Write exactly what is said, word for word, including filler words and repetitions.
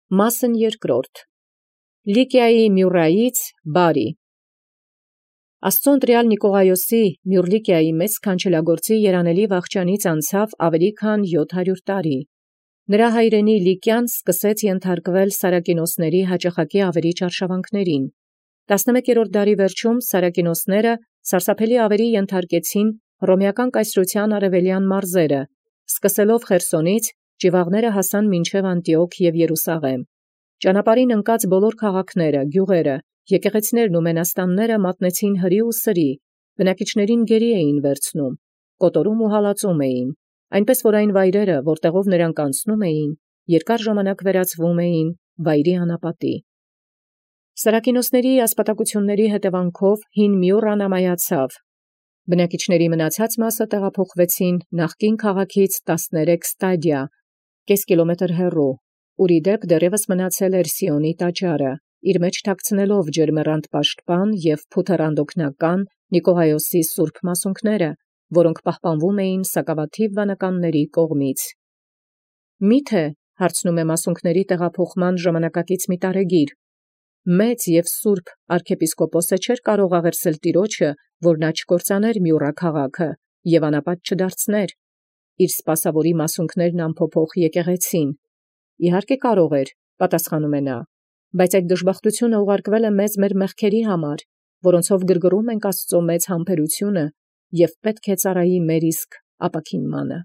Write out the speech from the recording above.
Մասն երկրորդ. Լիկիայի Մյուրայից բարի։ Աստուծոյ ընտրեալ Նիկողայոսի Մյուր Լիկիայի մեծ քանչելագործի երանելի վախճանից անցավ ավելի քան յոթ հարյուր տարի։ Նրա հայրենի Լիկիան սկսեց ենթարկվել Սարակինոսների հաճախակի ավերիչ արշավանքներին։ Տասնմեկերորդ դարի վերջում Սարակինոսները սարսափելի ավերի ենթարկեցին հռոմեական կայսրութեան արևելյան մարզերը, սկսելով Խերսոնից ճիւաղները հասան մինչև Անտիոք և Երուսաղեմ։ Ճանապարհին ընկած բոլոր քաղաքները, գյուղերը, եկեղեցիներն ու մենաստանները մատնեցին հրի ու սրի, բնակիչներին գերի էին վերցնում, կոտորում ու հալածում էին, այնպես որ այն վայրերը, որտեղով նրանք անցնում էին, երկար ժամանակ վերածվում էին վայրի անապատի։ Սարակինոսների ասպատակությունների հետևանքով հին Մյուրան ամայացավ։ Բնակիչների մնացած մասը տեղափոխվեցին նախկին քաղաքից տասներեք ստադիա, կես կիլոմետր հեռու, ուր ի դեպ դեռևս մնացել էր Սիոնի տաճարը, իր մեջ թաքցնելով ջերմեռանդ պաշտպան և փութեռանդօգնական Նիկողայոսի սուրբ մասունքները, որոնք պահպանվում էին սակավաթիվ վանականների կողմից։ Միթե, հարցնում է մասունքների տեղափոխման ժամանակակից մի տարեգիր, մեծ և սուրբ arczepiskopos-ը չէր կարող աղերսել Տիրոջը, որ նա չկործաներ Մյուրա քաղաքը և անապատ չդարձներ իր սպասավորի մասունքներն ամփոփող եկեղեցին։ Իհարկե կարող էր, պատասխանում է նա, բայց այդ դժբախտությունը ուղարկվել է մեզ մեր մեղքերի համար, որոնցով գրգռում ենք Աստծո մեծ համբերությունը և պետք է ծառայի մեր իսկ ապաքինմանը։